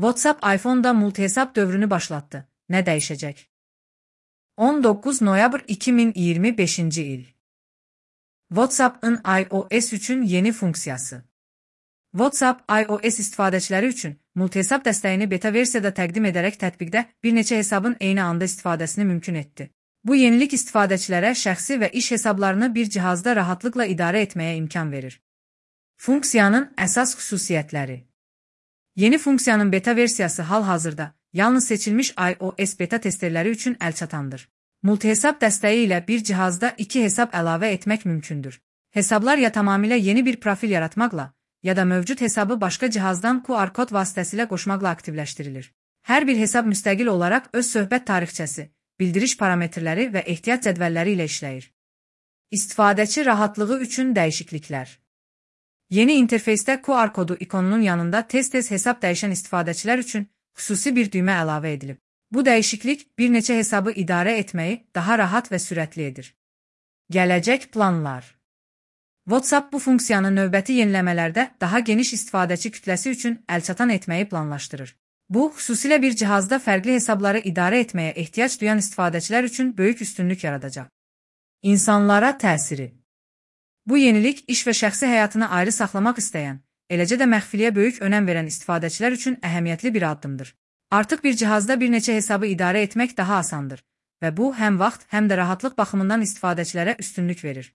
WhatsApp iPhone'da multihesap dövrünü başlattı. Ne değişecek? 19 noyabr 2025 il. WhatsApp'ın iOS üçün yeni funksiyası. WhatsApp iOS istifadəçiləri üçün multihesap dəstəyini beta versiyada təqdim edərək tətbiqdə bir neçə hesabın eyni anda istifadəsini mümkün etdi. Bu yenilik istifadəçilərə şəxsi və iş hesablarını bir cihazda rahatlıqla idarə etməyə imkan verir. Funksiyanın əsas xüsusiyyətləri. Yeni funksiyanın beta versiyası hal-hazırda yalnız seçilmiş iOS beta testerləri üçün əlçatandır. Multihesap dəstəyi ilə bir cihazda iki hesab əlavə etmək mümkündür. Hesablar ya tamamilə yeni bir profil yaratmaqla, ya da mövcud hesabı başqa cihazdan QR kod vasitəsilə qoşmaqla aktivləşdirilir. Hər bir hesab müstəqil olaraq öz söhbət tarixçəsi, bildiriş parametrləri və ehtiyat cədvəlləri ilə işləyir. İstifadəçi rahatlığı üçün dəyişikliklər. Yeni interfeysdə QR kodu ikonunun yanında tez-tez hesab dəyişən istifadəçilər üçün xüsusi bir düymə əlavə edilib. Bu dəyişiklik bir neçə hesabı idarə etməyi daha rahat və sürətli edir. Gələcək planlar. WhatsApp bu funksiyanı növbəti yeniləmələrdə daha geniş istifadəçi kütləsi üçün əlçatan etməyi planlaşdırır. Bu, xüsusilə bir cihazda fərqli hesabları idarə etməyə ehtiyac duyan istifadəçilər üçün böyük üstünlük yaradacaq. İnsanlara təsiri. Bu yenilik iş və şəxsi həyatını ayrı saxlamaq istəyən, eləcə də məxfiliyə böyük önəm verən istifadəçilər üçün əhəmiyyətli bir addımdır. Artıq bir cihazda bir neçə hesabı idarə etmək daha asandır və bu həm vaxt, həm də rahatlıq baxımından istifadəçilərə üstünlük verir.